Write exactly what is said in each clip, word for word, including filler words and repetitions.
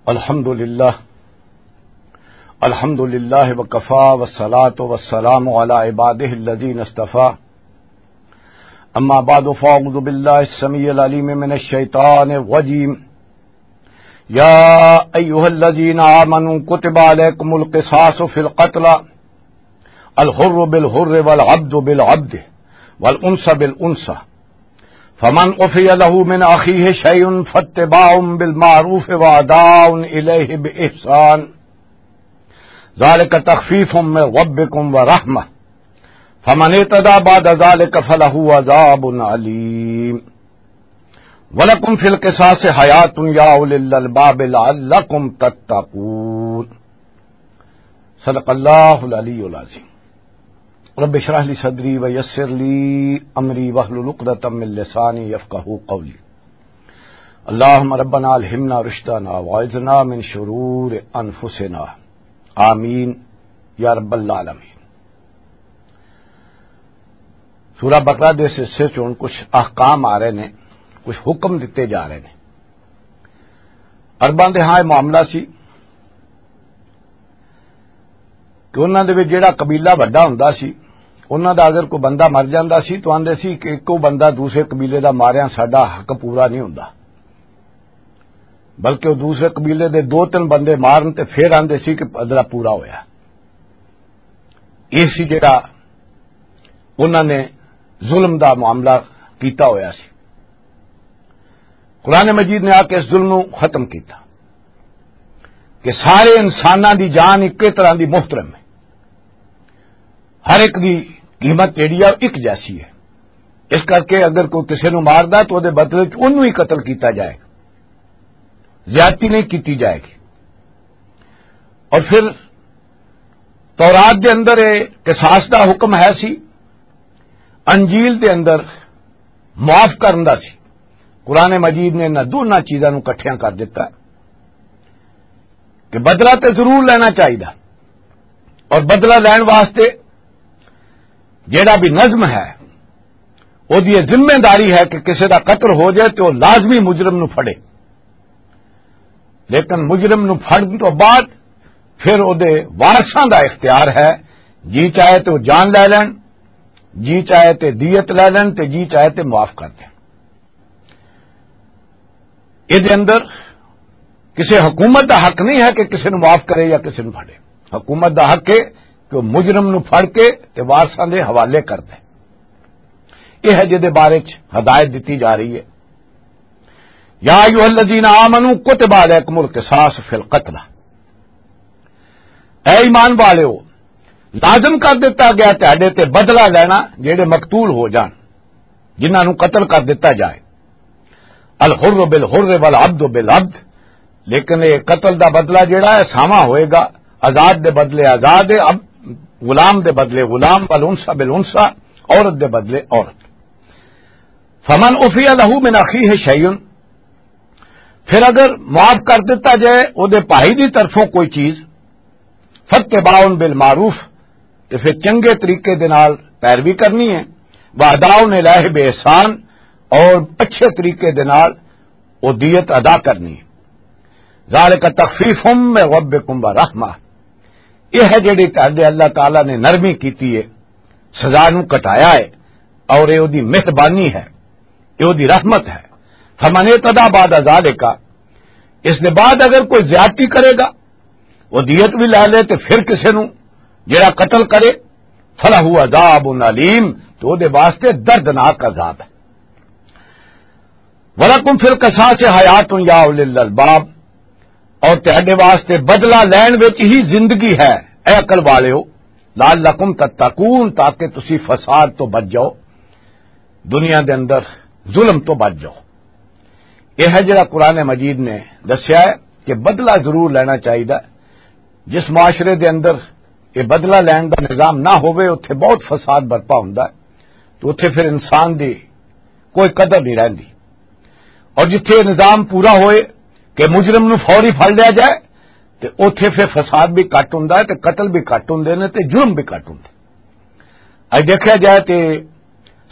الحمد لله. الحمد لله وكفى، والصلاة والسلام على عباده الذين اصطفى. أما بعد، فأعوذ بالله السميع العليم من الشيطان الرجيم. يا أيها الذين آمنوا كتب عليكم القصاص في القتلى، الحر بالحر والعبد بالعبد والأنثى بالأنثى، فمن عفي له من أخيه شيء فاتباع بالمعروف وأداء إليه بإحسان، ذلك تخفيف من ربكم ورحمة، فمن اعتدى بعد ذلك فله عذاب أليم. ولكم في القصاص حياة يا أولي الألباب لعلكم تتقون. صدق اللہ العلی العظیم. رب اشرح لي صدري ويسر لي أمري واحلل عقدة من لساني يفقهوا قولي. اللهم ربنا ألهمنا رشدنا وأعذنا من شرور أنفسنا. آمين يا رب العالمين. سورہ بقرہ دے اس حصے چ ہن کچھ احکام آ رہے نے، کچھ حکم دتے جا رہے نے۔ عرباں دے ہاں یہ معاملہ سی کہ انہاں دے وچ جیڑا قبیلہ وڈا ہوندا سی، انہاں دا اگر کوئی بندہ مر جاندا سی تو آندے سی کہ ایکو بندہ دوسرے قبیلے دا ماریا ساڈا حق پورا نہیں ہوندا، بلکہ وہ دوسرے قبیلے دے دو تین بندے مارن تے پھر آندے سی کہ بدلہ پورا ہویا۔ یہ سی جڑا انہاں نے ظلم دا معاملہ کیتا ہویا سی۔ قرآن مجید نے آ کے اس ظلم نو ختم کیتا کہ سارے انساناں دی جان اکے طرح دی محترم ہے، ہر ایک دی قیمت جیڑی ہے، اک جیسی ہے۔ اس کر کے اگر کوئی کسی نو ماردا تو دے بدلے چ اونوں ہی قتل کیتا جائے، زیادتی نہیں کیتی جائے گی۔ اور پھر تورات دے اندر یہ قصاص دا حکم ہے سی، انجیل دے اندر معاف کرن دا سی۔ قرآن مجید نے انہاں دونوں چیزاں نوں اکٹھیاں کر دتا کہ بدلہ تے ضرور لینا چاہیدا، اور بدلہ لین واسطے جیڑا بھی نظم ہے، او دی یہ ذمہ داری ہے کہ کسے دا قتل ہو جائے تو لازمی مجرم نو پھڑے، لیکن مجرم نو پھڑن تو بعد پھر او دے وارثاں دا اختیار ہے، جی چاہے تو جان لے لین، جی چاہے تے دیت لے لین، تے جی چاہے تے معاف کر دین۔ اے دے اندر کسے حکومت دا حق نہیں ہے کہ کسے نو معاف کرے یا کسے نو پھڑے۔ حکومت دا حق ہے کہ وہ مجرم نو پھڑ کے تے وارثاں دے حوالے کر دے۔ یہ ہے جے دے بارے چ ہدایت دتی جا رہی ہے۔ یا ایھا الذین آمنوا کتب علیکم القصاص فی القتلى، اے ایمان والیو، لازم کر دتا گیا تہاڈے تے بدلہ لینا جڑے مقتول ہو جان، جنہاں نوں قتل کر دتا جائے۔ الحر بالحر والعبد بالعبد، لیکن یہ قتل دا بدلہ جڑا ہے ساواں ہوئے گا، آزاد دے بدلے آزاد ہے، اب غلام دے بدلے غلام، والانثى بالانثى، عورت دے بدلے عورت۔ فمن عفی لہ من اخیہ شیء، پھر اگر معاف کر دتا جائے او دے بھائی دی طرفوں کوئی چیز، فاتباع بالمعروف، تے پھر چنگے طریقے دے نال پیروی کرنی ہے، واداء الیہ باحسان، اور اچھے طریقے دے نال او دیت ادا کرنی ہے۔ ذالک تخفیف من ربکم ورحمہ، یہ ہے جڑی تہاڈے اللہ تعالیٰ نے نرمی کیتی ہے، سزا نو گھٹایا ہے، اور یہ دی مہربانی ہے، یہ دی رحمت ہے۔ فمن اعتدی بعد ذالک، اس دے بعد اگر کوئی زیادتی کرے گا، وہ دیت بھی لے لے تے پھر کسے نو جڑا قتل کرے، فلہ عذاب علیم، تو دے واسطے دردناک عذاب ہے۔ وَلَكُمْ فِي الْقِصَاصِ حَيَاةٌ يَا أُولِي الْأَلْبَابِ، اور تہاڈے واسطے بدلہ لین وچ ہی زندگی ہے، اے عقل والیو، لَعَلَّكُمْ تَتَّقُونَ، تاکہ تسی فساد تو بچ جاؤ، دنیا دے اندر ظلم تو بچ جاؤ۔ یہ ہے جڑا قرآن مجید نے دسیا ہے کہ بدلہ ضرور لینا چاہیے۔ جس معاشرے دے اندر یہ بدلہ لین دا نظام نہ ہوئے، اتھے بہت فساد برپا ہوندا ہے، تو اتھے پھر انسان دی کوئی قدر نہیں رہندی۔ اور جتھے نظام پورا ہوئے کہ مجرم نو فوری پھڑ لیا جائے، تے اوتھے پھر فساد بھی گھٹ ہوندا ہے، تے قتل بھی گھٹ ہوندے نے، تے جرم بھی گھٹ ہوندے۔ اج دیکھا جائے تے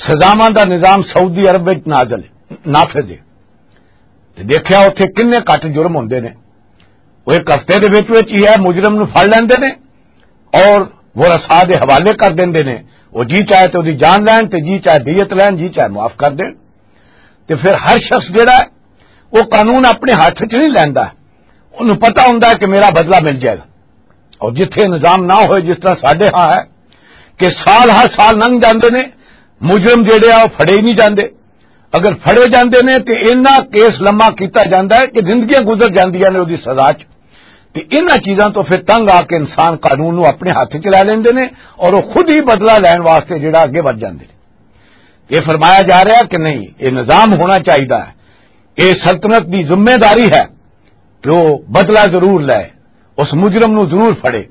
سزاواں دا نظام سعودی عرب وچ نازل ہے، نافذ ہے، تے دیکھیا اوتھے کنے گھٹ جرم ہوندے نے۔ وہ ایک ہفتے دے وچ وچ ہی ہے، مجرم نو پھڑ لیندے نے اور وہ رسا دے حوالے کر دیندے نے۔ وہ جی چاہے تے اودی جان لین، تے جی چاہے دیت لین، جی چاہے معاف کر دین۔ تے پھر ہر شخص جڑا ہے، وہ قانون اپنے ہاتھ وچ نہیں لیندا۔ انہوں پتہ ہوندا ہے کہ میرا بدلہ مل جائے گا۔ اور جتھے نظام نہ ہوئے، جس طرح ساڈے ہاں ہے کہ سال ہر سال لنگ جاندے نے، مجرم جڑے آ، وہ پھڑے ہی نہیں جاندے۔ اگر پھڑے جاندے نے تے اینا کیس لمبا کیتا جاندا ہے کہ زندگیاں گزر جاندیاں نے اودی سزا چ۔ تے انہاں چیزاں تو پھر تنگ آ کے انسان قانون نو اپنے ہاتھ چ لے لیندے نے اور وہ خود ہی بدلہ لین واسطے جڑا اگے ودھ جاندے نے۔ یہ فرمایا جا رہا کہ نہیں، یہ نظام ہونا چاہیے، یہ سلطنت دی ذمہ داری ہے کہ وہ بدلہ ضرور لے، اس مجرم نو ضرور پھڑے۔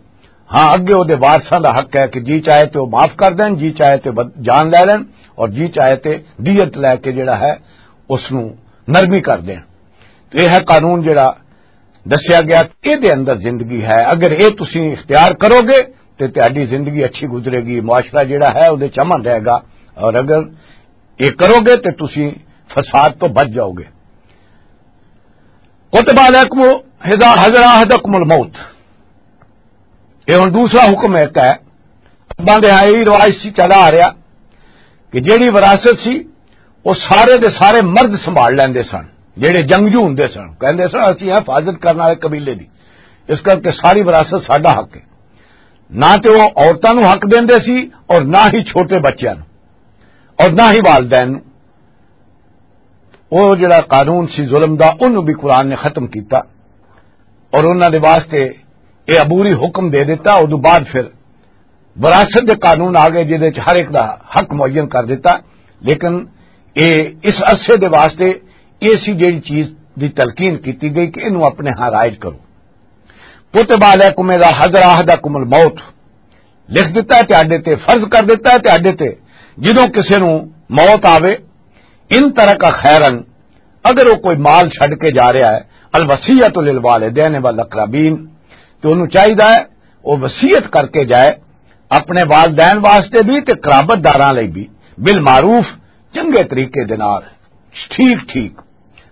ہاں، اگے وہ وارثاں دا حق ہے کہ جی چاہے تے وہ معاف کر دین، جی چاہے تے بد- جان لے لین، اور جی چاہے تے دیت لے کے جڑا ہے، اس نو نرمی کر دین۔ تو یہ ہے قانون جڑا دسیا گیا، اے دے اندر زندگی ہے۔ اگر اے تسی اختیار کرو گے تے تہاڈی زندگی اچھی گزرے گی، معاشرہ جڑا ہے، اودے چ امن رہے گا۔ اور اگر اے کرو گے تے تسی فساد تو بچ جاؤ گے۔ کتب علیکم اذا حضر احدکم الموت۔ یہ ہن دوسرا حکم ایک ہے۔ عرباں دے ہاں یہی رواج سی چلا آ رہا کہ جیڑی وراثت سی، وہ سارے دے سارے مرد سنبھال لیندے سن، جیڑے جنگجو ہوندے سن، کہندے سن، "اسی ہیں حفاظت کرن والے قبیلے دی، اس کر کے ساری وراثت ساڈا حق ہے۔" نہ تے وہ عورتاں نو حق دیندے سی اور نہ ہی چھوٹے بچیاں نو اور نہ ہی والدین نو۔ وہ جڑا قانون سی ظلم دا، انہوں بھی قرآن نے ختم کیتا اور انہاں دے واسطے یہ عبوری حکم دے دیتا۔ ادو بعد پھر وراثت دے قانون آ گئے، جہدے وچ ہر ایک دا حق معین کر دیتا۔ لیکن اے اس عرصے دے واسطے ایسی جڑی چیز دی تلقین کیتی گئی کہ انہوں اپنے ہاں رائج کرو۔ کتب علیکم اذا حضر احدکم الموت، لکھ دیتا ہے تہاڈے تے، فرض کر دیتا ہے تہاڈے تے، جدوں کسے نو موت آوے، ان ترک خیرن، اگر وہ کوئی مال چھڈ کے جا رہا ہے، الوصیت للوالدین والاقربین، تو انہوں چاہیدا ہے وہ وصیت کر کے جائے اپنے والدین واسطے بھی تے قرابت داراں لئی بھی، بالمعروف، چنگے طریقے دے نال، ٹھیک ٹھیک۔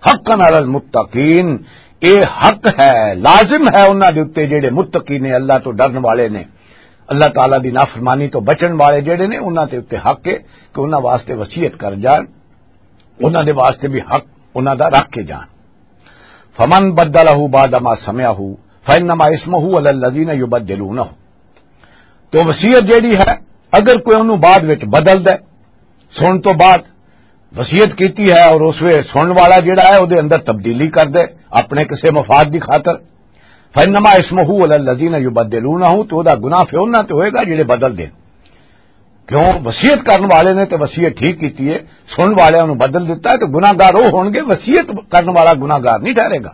حقا علی المتقین، اے حق ہے، لازم ہے انہاں دے اُتے جڑے متقی نے، اللہ تو ڈرن والے نے، اللہ تعالیٰ دی نافرمانی تو بچن والے جڑے نے، انہاں دے اُتے حق ہے کہ انہاں واسطے وصیت کر جان، انہاں دے واسطے بھی حق انہاں دا رکھ کے جان۔ فمن بدلہ بعد ما سمعہ فانما اسمہ علی الذین یبدلونہ۔ تو وصیت جیڑی ہے، اگر کوئی انہوں بعد وچ بدل دے، سن تو بعد وصیت کیتی ہے اور اس ویلے سنن والا جیڑا ہے، او دے اندر تبدیلی کر دے اپنے کسے مفاد دی خاطر، فانما اسمہ علی الذین یبدلونہ، تو او دا گناہ پھر انہاں تے ہوئے گا جڑے بدل دے۔ کیوں؟ وصیت کرن والے نے تے وصیت ٹھیک کیتی ہے، سنن والے انہوں بدل دیتا ہے، تو گناہگار وہ ہون گے، وصیت کرن والا گناہگار نہیں ٹھہرے گا۔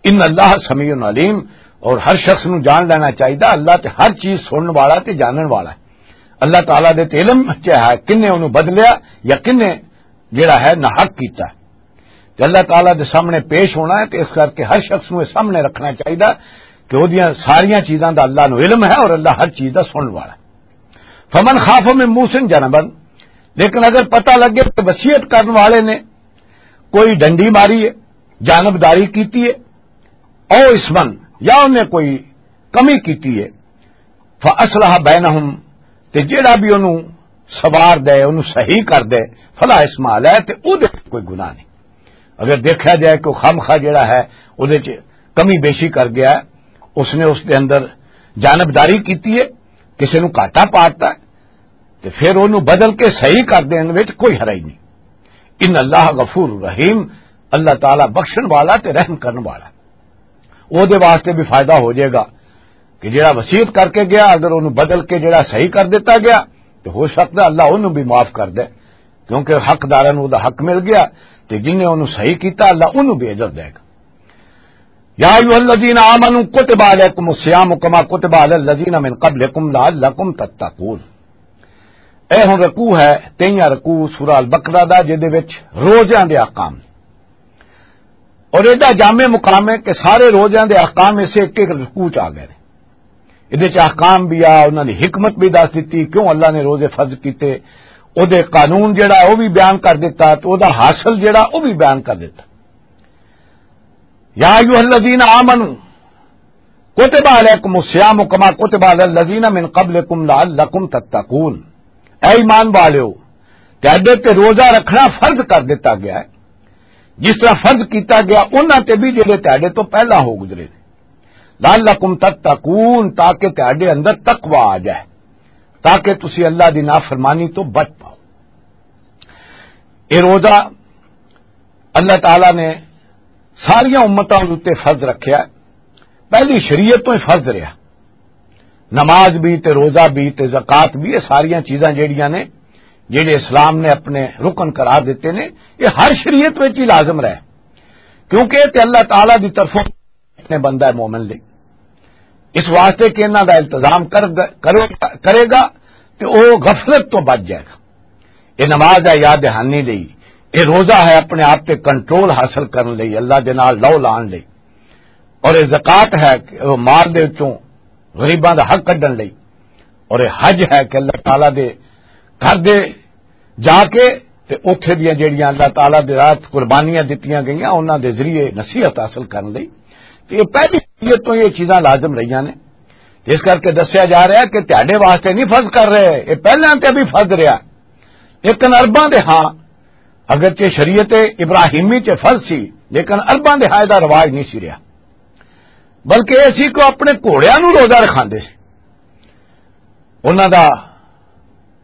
ان اللہ سمیع علیم، اور ہر شخص نو جان لینا چاہیے، اللہ تے ہر چیز سنن والا تے جانن والا ہے۔ اللہ تعالیٰ دے تے علم چ ہے کنے انہوں بدلیا یا کنے جڑا ہے ناحق کیتا ہے۔ تے اللہ تعالیٰ دے سامنے پیش ہونا ہے، تے اس کر کے ہر شخص نو یہ سامنے رکھنا چاہیے کہ وہ دیاں ساریاں چیزاں دا اللہ نو علم ہے اور اللہ ہر چیز دا سنن والا ہے۔ فمن خاف من موسن جنبا، لیکن اگر پتہ لگے کہ وصیت کرن والے نے کوئی ڈنڈی ماری ہے، جانبداری کیتی ہے، او اسمن، یا انہیں کوئی کمی کیتی ہے، فاصلح بینہم، تے جیڑا بھی انہوں سوار دے، انہوں صحیح کر دے، فلا اسم علیہ، تے او دے کوئی گناہ نہیں۔ اگر دیکھا جائے کہ وہ خامخواہ جیڑا ہے، او دے چ کمی بیشی کر گیا ہے، اس نے اس دے اندر جانبداری کیتی ہے، کسے نو گھاٹا پاتا ہے، تے پھر انہوں بدل کے صحیح کر دین وچ کوئی حرج نہیں۔ ان اللہ غفور رحیم، اللہ تعالیٰ بخشن والا تے رحم کرن والا۔ او دے واسطے بھی فائدہ ہو جائے گا کہ جڑا وصیت کر کے گیا، اگر انہوں بدل کے جڑا صحیح کر دیتا گیا، تو ہو سکتا ہے اللہ انہوں بھی معاف کر دے، کیونکہ حق داراں نوں دا حق مل گیا، تے جن نے انہوں صحیح کیتا، اللہ انہوں بھی اجر دے گا۔ یا ایھا الذین آمنوا کتب علیکم الصیام کما کتب علی الذین من قبلکم لعلکم تتقون۔ اے ہن رکوع ہے، تئیاں رکوع سورہ البقرہ دا، جدے وچ روزیاں دے احکام نے۔ اور ایڈا جامع مقام ہے کہ سارے روزیاں دے احکام اسے ایک ایک رکوع چ آ گئے نے۔ ادے چ احکام بھی آ، انہاں دی حکمت بھی دس دتی، کیوں اللہ نے روزے فرض کیتے، او دے قانون جڑا ہے، او بھی بیان کر دیتا، تو او دا حاصل جڑا، او بھی بیان کر دیتا۔ یا ایھا الذین آمنوا، کتب علیکم الصیام کما کتب علی الذین من قبلکم لعلکم تتقون۔ اے ایمان والیو، تہاڈے تے روزہ رکھنا فرض کر دتا گیا ہے، جس طرح فرض کیتا گیا انہاں تے بھی جڑے تہاڈے تو پہلا ہو گزرے نے۔ لعلکم تتقون، تاکہ تہاڈے اندر تقوی آ جائے، تاکہ تسی اللہ دی نافرمانی تو بچ پاؤ۔ یہ روزہ اللہ تعالیٰ نے ساریاں امتاں دے اُتے فرض رکھیا ہے۔ پہلی شریعت تو ہی فرض رہیا۔ نماز بھی تے روزہ بھی تے زکوٰۃ بھی، یہ ساریاں چیزاں جیڑیاں نے، جیڑے اسلام نے اپنے رکن قرار دیتے نے، یہ ہر شریعت وچ ہی لازم رہے، کیونکہ یہ تے اللہ تعالیٰ دی طرفوں نے بندہ ہے مومن لئی۔ اس واسطے کہ انہاں دا التزام کر-، کرو-، کرے گا تے او غفلت تو بچ جائے گا۔ یہ نماز ہے یاد دہانی لئی، یہ روزہ ہے اپنے آپ تے کنٹرول حاصل کرن لئی، اللہ دے نال لو لان لئی، اور یہ زکوٰۃ ہے کہ وہ مال دے وچوں غریباں دا حق کڈن لئی، اور یہ حج ہے کہ اللہ تعالیٰ دے گھر دے جا کے تے اوتھے دیاں جڑیاں اللہ تعالیٰ دے راہ قربانیاں دتیاں گئیاں، انہاں دے ذریعے نصیحت حاصل کرن لئی۔ تے یہ پہلی شریعت تو یہ چیزاں لازم رہیاں نے۔ اس کر کے دسیا جا رہا ہے کہ تہاڈے واسطے نہیں فرض کر رہے، یہ پہلے تے بھی فرض رہا۔ لیکن عرباں دے ہاں، اگرچہ شریعت ابراہیمی چ فرض سی، لیکن عرباں دے ہاں دا رواج نہیں سی رہا، بلکہ اسی کو اپنے گھوڑیاں نوں روزہ رکھاندے سی۔ انہاں دا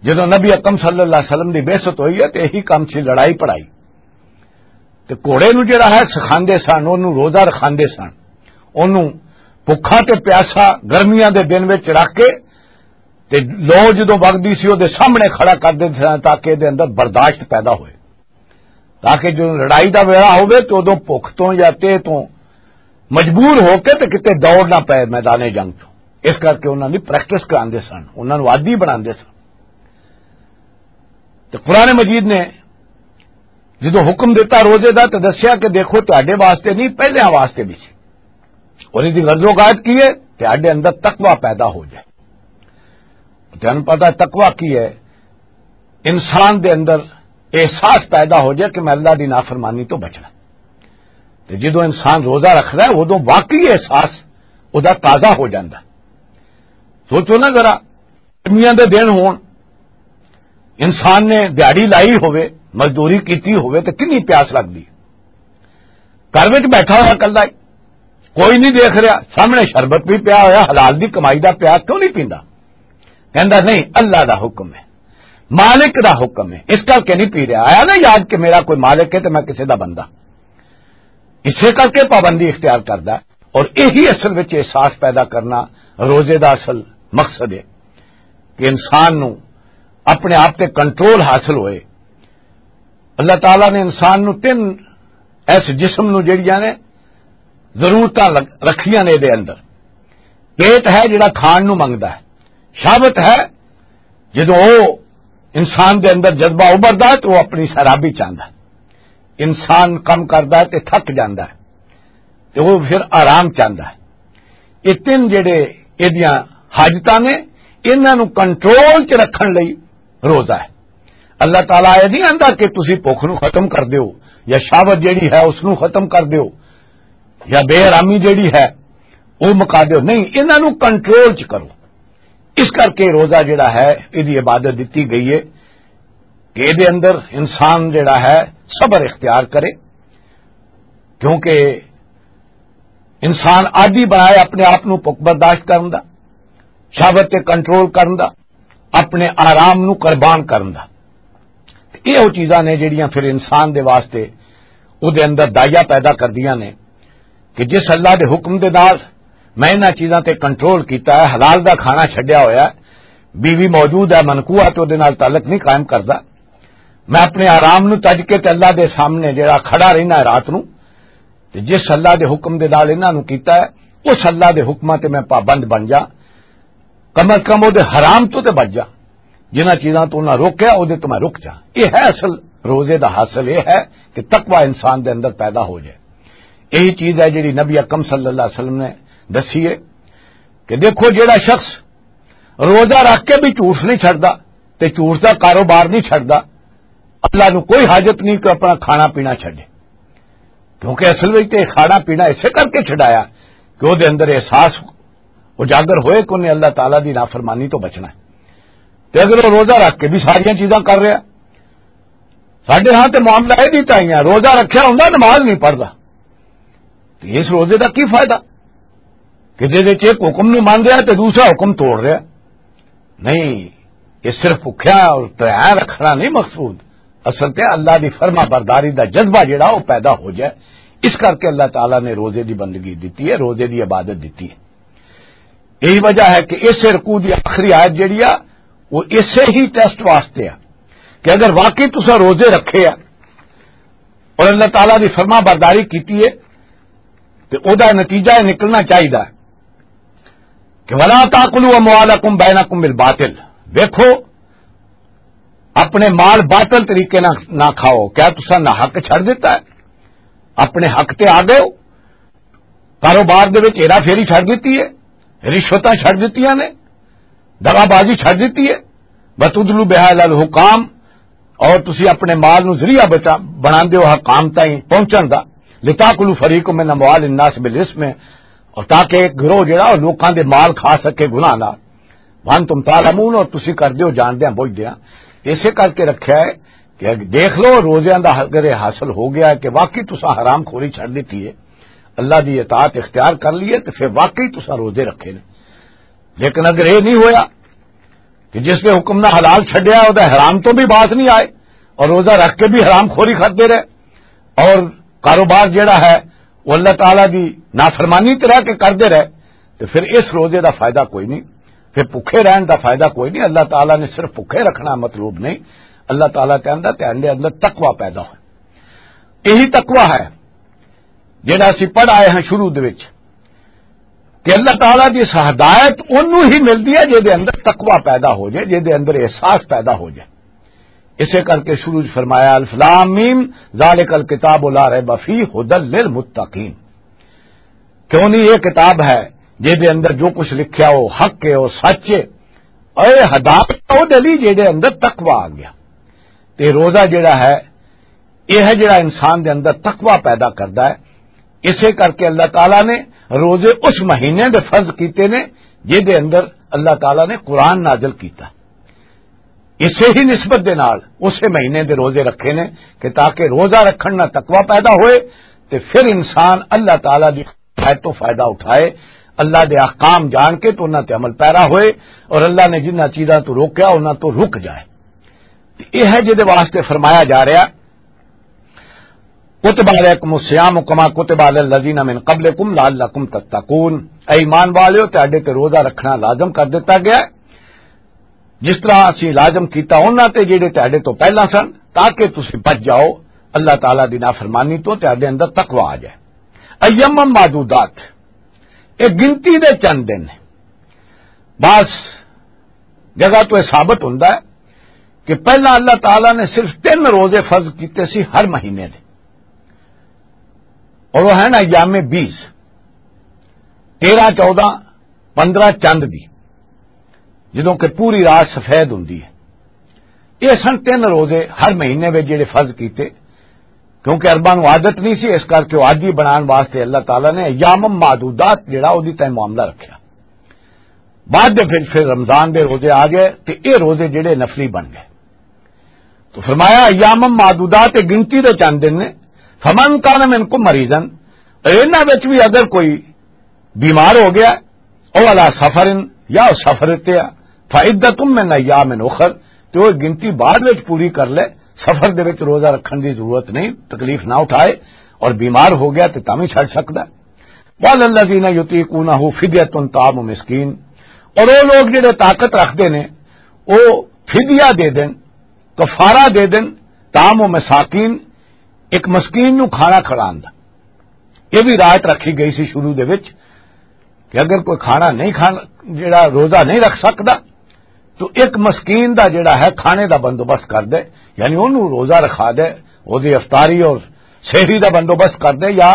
جدوں نبی اکرم صلی اللہ علیہ وسلم دی بعثت ہوئی ہے تے یہی کام سی، لڑائی پڑھائی۔ تے گھوڑے نوں جڑا ہے سکھاندے سن، اونوں روزہ رکھاندے سن، اونوں بھکھا تے پیاسا گرمیاں دے دن وچ رکھ کے تے لو جدوں وگدی سی، او دے سامنے کھڑا کر دیندے سن تاکہ دے اندر برداشت پیدا ہوئے، تاکہ جو لڑائی دا ویلا ہوئے تے اودوں بھکھ تو یا تے تو مجبور ہو کے تے کتے دوڑ نہ پے میدان جنگ چوں۔ اس کر کے انہاں دی پریکٹس کراندے سن، انہاں نوں عادی بناندے سن۔ تے قرآن مجید نے جدوں حکم دیتا روزے دا، تے دسیا کہ دیکھو، تہاڈے واسطے نہیں، پہلیاں واسطے بھی سی۔ اور اس دی غرض و غایت کی ہے؟ تہاڈے اندر تقوی پیدا ہو جائے۔ تہانوں پتہ ہے تقوی کی ہے؟ انسان دے اندر احساس پیدا ہو جائے کہ میں اللہ دی نافرمانی تو بچنا۔ تے جدوں انسان روزہ رکھدا ہے، ادوں واقعی احساس ادا تازہ ہو جاندا۔ سوچو نا ذرا، گرمیاں دے دن ہون، انسان نے دیہاڑی لائی ہوئے، مزدوری کیتی ہوئے، تے کنی پیاس لگدی۔ گھر وچ بیٹھا ہویا کلھا ہی، کوئی نہیں دیکھ رہا، سامنے شربت بھی پیا ہویا، حلال دی کمائی دا پیا، کیوں نہیں پیندا؟ کہندا، "نہیں، اللہ دا حکم ہے، مالک دا حکم ہے، اس کر کے نہیں پی رہا۔" آیا نا یاد کہ میرا کوئی مالک ہے تے میں کسے دا بندہ۔ اسے کر کے پابندی اختیار کردا ہے۔ اور یہی اصل وچ احساس پیدا کرنا روزے دا اصل مقصد ہے کہ انسان نو اپنے آپ تے کنٹرول حاصل ہوئے۔ اللہ تعالیٰ نے انسان نو تین ایس جسم نو جڑیاں نے ضرورتاں لگ-، رکھیاں نے دے اندر۔ پیٹ ہے جڑا کھان نو منگدا ہے، شہوت ہے جدوں او انسان دے اندر جذبہ ابھردا ہے تو وہ اپنی سرابی چاہندا ہے۔ انسان کم کردا ہے تے تھک جاندا ہے تے وہ پھر آرام چاہندا ہے۔ یہ تین جڑے ایدیاں حاجتاں نے، انہاں نوں کنٹرول چ رکھن لئی روزہ ہے۔ اللہ تعالیٰ یہ نہیں آندا کہ تسی بھوک نوں ختم کر دیو یا شہوت جڑی ہے اس نوں ختم کر دیو یا بے آرامی جڑی ہے وہ مکا دیو، نہیں، انہاں نوں کنٹرول چ کرو۔ اس کر کے روزہ جڑا ہے، ایدی عبادت دتی گئی ہے کہ ایدے اندر انسان جڑا ہے، صبر اختیار کرے، کیونکہ انسان عادی بنائے اپنے آپ نو بھوک برداشت کرن دا، شہوت تے کنٹرول کرن دا، اپنے آرام نو قربان کرن دا۔ تے یہ وہ چیزاں نے جڑیاں پھر انسان دے واسطے او دے اندر دائیا پیدا کردیاں نے کہ جس اللہ دے حکم دے نال میں انہاں چیزاں تے کنٹرول کیتا ہے، حلال دا کھانا چھڈیا ہویا ہے، بیوی موجود ہے، منقوہ تے او دے نال تعلق نہیں قائم کردا، میں اپنے آرام نو تج کے تے اللہ دے سامنے جڑا کھڑا رہنا ہے رات نو، تے جس اللہ دے حکم دے نال انہاں نو کیتا ہے، اس اللہ دے حکماں تے میں پابند بن جا، کم از کم او دے حرام تو تے بچ جا، جنہاں چیزاں تو انہاں روکیا، او دے تو میں رک جا۔ یہ ہے اصل روزے دا حاصل، یہ ہے کہ تقوی انسان دے اندر پیدا ہو جائے۔ یہی چیز ہے جڑی نبی اکرم صلی اللہ علیہ وسلم نے دسی ہے کہ دیکھو، جڑا شخص روزہ رکھ کے بھی جھوٹ نہیں چھڈدا تے جھوٹ دا کاروبار نہیں چھڈدا، اللہ نو کوئی حاجت نہیں کہ اپنا کھانا پینا چھڈے، کیونکہ اصل وچ تے کھانا پینا اسے کر کے چھڈایا کہ او دے اندر احساس اجاگر ہوئے کہ انہیں اللہ تعالیٰ دی نافرمانی تو بچنا ہے۔ تے اگر وہ روزہ رکھ کے بھی ساریاں چیزاں کر رہا، ساڈے ہاں تے معاملہ یہ نہیں چاہیے، روزہ رکھیا ہوندا، نماز نہیں پڑھدا، تو اس روزے دا کی فائدہ کہ جے ایک حکم نو مان رہا تے دوسرا حکم توڑ رہا؟ نہیں، یہ صرف بھکھیا اور تریاں رکھنا نہیں مقصود، اصل تے اللہ دی فرما برداری دا جذبہ جڑا وہ پیدا ہو جائے۔ اس کر کے اللہ تعالیٰ نے روزے دی بندگی دیتی ہے، روزے دی عبادت دیتی ہے۔ یہی وجہ ہے کہ اس رکوع دی آخری آیت جڑی آ، وہ اسے ہی ٹیسٹ واسطے آ کہ اگر واقعی تسا روزے رکھے آ اور اللہ تعالیٰ دی فرما برداری کیتی ہے، تے او دا نتیجہ یہ نکلنا چاہیدا ہے کہ "ولا تاکلوا اموالکم بینکم بالباطل"۔ ویکھو، اپنے مال باطل طریقے نہ، نہ کھاؤ۔ کیا تسا نہ حق چھڑ دیتا ہے؟ اپنے حق تے آ گئے ہو؟ کاروبار دے وچ ہیرا فیری چھڑ دتی ہے، رشوتاں چھڑ دتیاں نے، دغا بازی چھڑ دتی ہے۔ وَتُدْلُوا بِهَا إِلَى الْحُكَّامِ، اور تسی اپنے مال نو ذریعہ بچا، بنا دیو حکام تائیں پہنچن دا۔ لِتَأْكُلُوا فَرِيقًا مِنْ أَمْوَالِ النَّاسِ بِالْإِثْمِ، اور تاکہ ایک گروہ جڑا وہ لوکاں دے مال کھا سکے گناہ نال۔ وَأَنْتُمْ تَعْلَمُونَ، اور تسی کر دیو جان دیاں بوجھ دیاں۔ تے اسے کر کے رکھیا ہے کہ دیکھ لو، روزیاں دا اگر یہ حاصل ہو گیا ہے کہ واقعی تساں حرام خوری چھڑ دیتی ہے، اللہ دی اطاعت اختیار کر لیے، تو پھر واقعی تساں روزے رکھے نے۔ لیکن اگر یہ نہیں ہویا کہ جس نے حکم نہ حلال چھڈیا، وہ حرام تو بھی باز نہیں آئے اور روزہ رکھ کے بھی حرام خوری کرتے رہے اور کاروبار جڑا ہے وہ اللہ تعالیٰ دی نافرمانی تے رہ کے کرتے رہے، تو پھر اس روزے دا فائدہ کوئی نہیں، پھر بھکھے رہن دا فائدہ کوئی نہیں۔ اللہ تعالیٰ نے صرف بھکھے رکھنا مطلوب نہیں، اللہ تعالیٰ کہندا تے اندر تقوی پیدا ہوئے۔ یہی تقوی ہے جڑا اسی پڑھ آئے ہیں شروع دے وچ، کہ اللہ تعالیٰ دی اس ہدایت اونوں ہی ملدی ہے جے دے اندر تقوی پیدا ہو جائے، جے دے اندر احساس پیدا ہو جائے۔ اسے کر کے شروع وچ فرمایا، "الف لام میم، ذالک الکتاب لا ریب فیہ، ھدی للمتقین"۔ کیوں نہیں، یہ کتاب ہے جے دے اندر جو کچھ لکھیا ہو حق ہے، وہ سچ ہے۔ اے ہدایت او دلی جے دے اندر تقوی آ گیا۔ تے روزہ جڑا ہے، یہ ہے جڑا انسان دے اندر تقوی پیدا کردا ہے۔ اسے کر کے اللہ تعالیٰ نے روزے اس مہینے دے فرض کیتے نے جے دے اندر اللہ تعالیٰ نے قرآن نازل کیتا۔ اسے ہی نسبت دے نال اسے مہینے دے روزے رکھے نے کہ تاکہ روزہ رکھن نال تقوی پیدا ہوئے، تے پھر انسان اللہ تعالیٰ دی ہدایت تو فائدہ اٹھائے، اللہ دے احکام جان کے تو انہاں تے عمل پیرا ہوئے، اور اللہ نے جنہاں چیزاں تو روکیا انہاں تو رک جائے۔ تے یہ ہے جے دے واسطے فرمایا جا رہا، "کتب علیکم الصیام کما کتب علی الذین من قبلکم لعلکم تتقون"۔ اے ایمان والیو، تہاڈے تے روزہ رکھنا لازم کر دتا گیا ہے، جس طرح اسی لازم کیتا انہاں تے جڑے تہاڈے تو پہلا سن، تاکہ تسی بچ جاؤ اللہ تعالیٰ دی نافرمانی تو، تہاڈے اندر تقوی آ جائے۔ ایام معدودات، ایک گنتی دے چند دن ہیں۔ بس جگہ تو یہ ثابت ہوندا ہے کہ پہلا اللہ تعالیٰ نے صرف تین روزے فرض کیتے سی ہر مہینے دے، اور وہ ہیں ایام بیس، تیرہ، چودہ، پندرہ چند دی، جدوں کہ پوری رات سفید ہوندی ہے۔ یہ سن تین روزے ہر مہینے وچ جڑے فرض کیتے، کیونکہ عرباں نوں عادت نہیں سی، اس کر کے وہ عادی بنان واسطے اللہ تعالیٰ نے ایام معدودات جڑا اودی تائیں معاملہ رکھیا۔ بعد دے پھر، پھر رمضان دے روزے آ گئے تے اے روزے جڑے نفلی بن گئے۔ تو فرمایا، "ایام معدودات"، گنتی دے چند دن نے۔ "فمن کان منکم مریضا"، اور انہاں وچ بھی اگر کوئی بیمار ہو گیا، او علی سفر، یا او سفر تے آ، "فعدۃ من ایام اخر"، تو وہ گنتی بعد وچ پوری کر لے، سفر دے وچ روزہ رکھن دی ضرورت نہیں، تکلیف نہ اٹھائے اور بیمار ہو گیا تے تاں وی چھڈ سکدا ہے۔ "وعلی الذین یطیقونہ فدیۃ طعام مسکین"، اور وہ لوگ جڑے طاقت رکھتے نے، وہ فدیہ دے دین، کفارہ دے دین، طعام مساکین، ایک مسکین نو کھانا کھڑان دا۔ یہ بھی رعایت رکھی گئی سی شروع دے وچ کہ اگر کوئی کھانا نہیں کھان، جڑا روزہ نہیں رکھ سکدا، تو ایک مسکین دا جڑا ہے کھانے دا بندوبست کر دے، یعنی اونوں روزہ رکھا دے، اودی افطاری اور سحری دا بندوبست کر دے، یا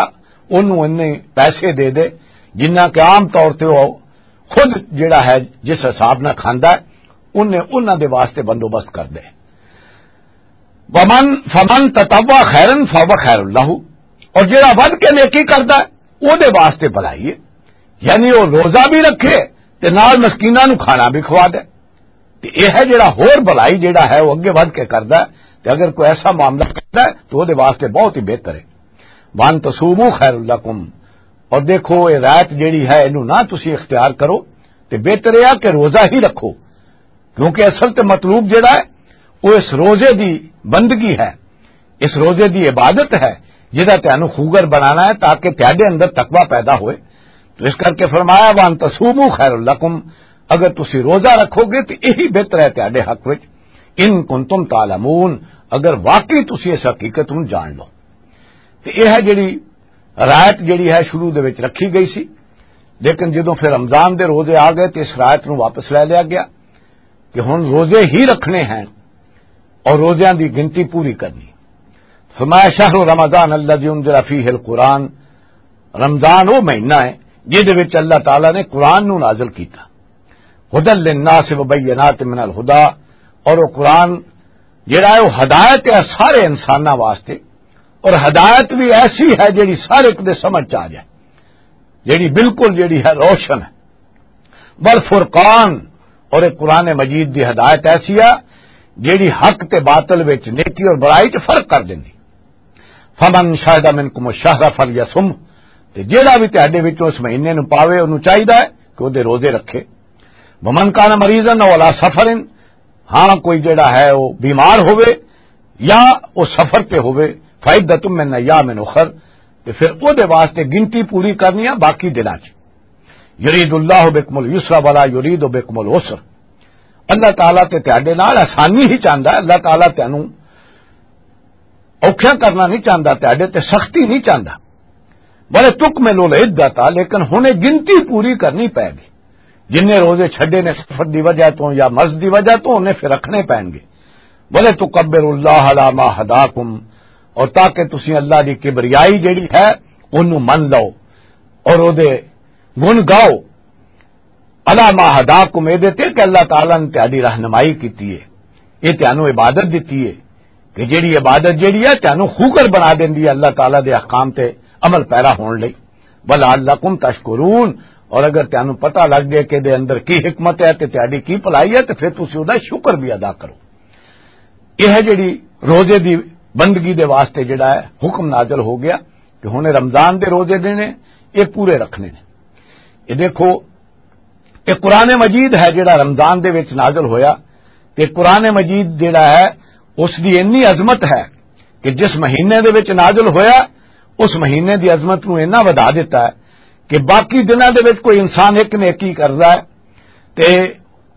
اونوں اتنے پیسے دے دے جنہ کہ عام طور تے وہ خود جڑا ہے جس حساب نہ کھاندا ہے، انہیں انہاں دے واسطے بندوبست کر دے۔ ومن، فمن تطوع خیرا فہو خیر لہ، اور جڑا ودھ کے نیکی کردا ہے، او دے واسطے بھلائی ہے۔ یعنی وہ روزہ بھی رکھے تے نال مسکیناں نوں کھانا بھی کھوا دے۔ تے یہ ہے جڑا ہور بھلائی جڑا ہے وہ اگے ودھ کے کردا ہے۔ تے اگر کوئی ایسا معاملہ کردا ہے تو وہ دے واسطے بہت ہی بہتر ہے۔ وان تصوموا خیر لکم، اور دیکھو یہ رات جڑی ہے اینوں نہ تسی اختیار کرو، تے بہتر یہ کہ روزہ ہی رکھو، کیونکہ اصل تے مطلوب جڑا ہے وہ اس روزے دی بندگی ہے، اس روزے دی عبادت ہے، جہدا تانوں خوگر بنانا ہے تاکہ تہاڈے اندر تقوی پیدا ہوئے۔ تو اس کر کے فرمایا، "وان تصوموا خیر لکم"، اگر تسی روزہ رکھو گے تو یہی بہتر ہے تہاڈے حق وچ، "ان کنتم تعلمون"، اگر واقعی تسی اس حقیقت نوں جان لو۔ تو یہ ہے جڑی رایت جڑی ہے شروع دے وچ رکھی گئی سی، لیکن جدوں پھر رمضان دے روزے آ گئے تو اس رایت نوں واپس لے لیا گیا کہ ہن روزے ہی رکھنے ہیں اور روزیاں دی گنتی پوری کرنی۔ فرمایا، "شہر رمضان الذی انزل فیہ القرآن"، رمضان وہ مہینہ ہے جس دے وچ اللہ تعالیٰ نے قرآن نو نازل کیتا۔ "ہدی للناس و بینات من الہدی"، اور وہ قرآن جڑا ہے وہ ہدایت ہے سارے انساناں واسطے، اور ہدایت بھی ایسی ہے جڑی سارے دے سمجھ چ آ جائے، جڑی بالکل جڑی ہے روشن ہے۔ والفرقان، اور ایک قرآن مجید دی ہدایت ایسی ہے جیڑی حق تے باطل وچ، نیکی اور برائی چ فرق کر دیندی۔ "فمن شہد منکم الشہر فلیصم"، تے جیڑا بھی تہاڈے وچوں اس مہینے نوں پاوے، اونوں چاہیدا ہے کہ او دے روزے رکھے۔ "ومن کان مریضا او علی سفر"، ہاں کوئی جیڑا ہے وہ بیمار ہووے یا وہ سفر تے ہووے، "فعدۃ من ایام اخر"، تے پھر او دے واسطے گنتی پوری کرنی ہے باقی دناں چ۔ "یرید اللہ بکم الیسر ولا یرید بکم العسر"، اللہ تعالیٰ تے تہاڈے نال آسانی ہی چاہندا ہے، اللہ تعالیٰ تینوں اوکھیاں کرنا نہیں چاہندا، تہاڈے تے سختی نہیں چاہندا۔ "ولتکملوا العدۃ"، لیکن ہن یہ گنتی پوری کرنی پے گی۔ جن نے روزے چھڈے نے سفر دی وجہ تو یا مرض دی وجہ تو، انہیں پھر رکھنے پین گے۔ "ولتکبروا اللہ علی ما ہداکم"، اور تاکہ تسی اللہ دی کبریائی جیڑی ہے، اونوں من لو اور او دے گن گاؤ۔ "علی ما ہداکم"، اے دے تے کہ اللہ تعالیٰ نے تہاڈی رہنمائی کیتی ہے، اے تانوں عبادت دتی ہے، کہ جیڑی عبادت جیڑی ہے تانوں خوگر بنا دیندی ہے اللہ تعالیٰ دے احکام تے عمل پیرا ہون لئی۔ "ولعلکم تشکرون"، اور اگر تانوں پتہ لگ جائے کہ دے اندر کی حکمت ہے تے تہاڈی کی بھلائی ہے، تے پھر تسی او دا شکر بھی ادا کرو۔ یہ ہے جڑی روزے دی بندگی دے واسطے جڑا ہے حکم نازل ہو گیا کہ ہن رمضان دے روزے دینے، یہ پورے رکھنے نے۔ یہ دیکھو، یہ قرآن مجید ہے جڑا رمضان دے وچ نازل ہویا، تے قرآن مجید جڑا ہے اس دی اتنی عظمت ہے کہ جس مہینے دے وچ نازل ہویا، اس مہینے دی عظمت نو اتنا ودھا دیتا ہے کہ باقی دناں دے وچ کوئی انسان ایک نیکی کردا ہے تے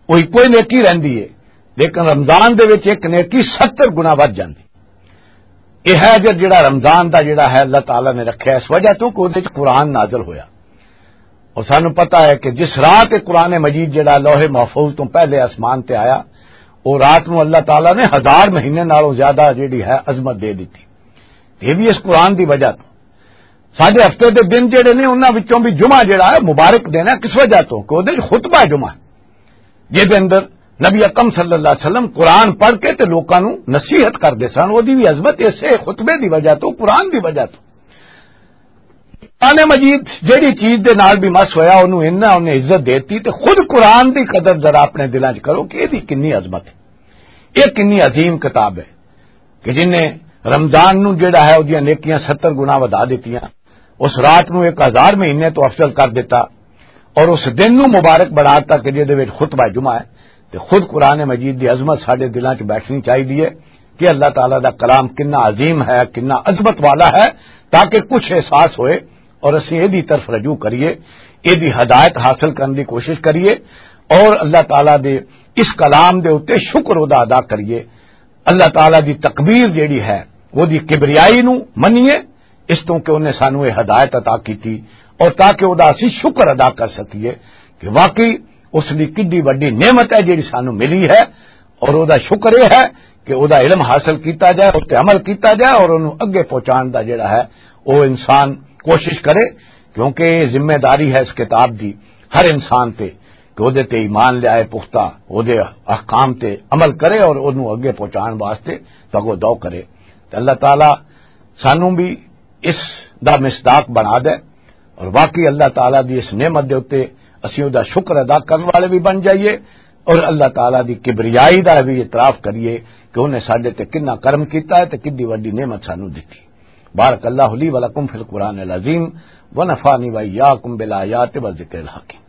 وہی کوئی نیکی رہندی ہے، لیکن رمضان دے وچ ایک نیکی ستر گنا ودھ جاندی۔ یہ ہے اجر جڑا رمضان دا جڑا ہے اللہ تعالیٰ نے رکھیا اس وجہ تو کہ اودے وچ قرآن نازل ہویا۔ اور سانو پتہ ہے کہ جس رات یہ قرآن مجید جڑا لوح محفوظ تو پہلے آسمان تے آیا، وہ رات نو اللہ تعالیٰ نے ہزار مہینے نالوں زیادہ جڑی ہے عظمت دے دیتی۔ یہ بھی اس قرآن دی وجہ تو۔ ساڈے ہفتے دے دن جڑے نے، انہاں وچوں بھی جمعہ جڑا ہے مبارک دن ہے۔ کس وجہ تو؟ کہ اودے وچ خطبہ جمعہ ہے، جس دے اندر نبی اکرم صلی اللہ علیہ وسلم قرآن پڑھ کے تے لوکاں نو نصیحت کردے سن۔ اودی بھی عظمت اسے خطبے دی وجہ تو، قرآن دی وجہ تو۔ قرآن مجید جڑی چیز دے نال بھی مس ہویا، انہوں انہاں انہیں عزت دیتی، تے خود قرآن دی قدر ذرا اپنے دلاں چ کرو کہ یہ کنی عظمت ہے، یہ کنی عظیم کتاب ہے۔ کہ جن نے رمضان نو جڑا ہے، اودیاں نیکیاں ستر گنا ودھا دتیاں، اس رات نو ایک ہزار مہینے تو افضل کر دیتا، اور اس دن نو مبارک بنا دیتا کہ جے دے وچ خطبہ جمعہ ہے۔ تے خود قرآن مجید دی عظمت ساڈے دلاں چ بیٹھنی چاہیے ہے کہ اللہ تعالیٰ دا کلام کنا عظیم ہے، کنا عظمت والا ہے، تاکہ کچھ احساس ہوئے اور اسی اے دی طرف رجوع کریے، اے دی ہدایت حاصل کرنے دی کوشش کریے، اور اللہ تعالیٰ دے اس کلام دے اُتے شکر ادا ادا کریے۔ اللہ تعالیٰ دی تقبیر جیڑی ہے، وہ دی کبریائی نو منیے، اس تو کہ انہیں سانو یہ ہدایت عطا کیتی، اور تاکہ وہ دا اسی شکر ادا کر سکیے کہ واقعی اس دی کڈی وڈی نعمت ہے جیڑی سانو ملی ہے، اور وہ دا شکر یہ ہے کہ وہ دا علم حاصل کیتا جائے، اس تے عمل کیتا جائے، اور انہوں اگے پہنچان دا جیڑا ہے، وہ انسان کوشش کرے، کیونکہ یہ ذمہ داری ہے اس کتاب دی ہر انسان تے۔ کہ اودے تے ایمان لیائے پختہ، اودے احکام تے عمل کرے اور اونوں اگے پہنچان واسطے تگو دو کرے۔ تے اللہ تعالیٰ سانوں بھی اس دا مصداق بنا دے، اور واقعی اللہ تعالیٰ دی اس نعمت دے اُتے اسی اُس دا شکر ادا کرن والے بھی بن جائیے، اور اللہ تعالیٰ دی کبریائی دا بھی اعتراف کریے کہ اُنہیں ساڈے تے کنا کرم کیتا ہے تے کڈی وڈی نعمت سانو دتی۔ بارک اللہ لی و لکم فی القرآن العظیم، و نفعنی و ایاکم بالآیات و ذکر الحکیم۔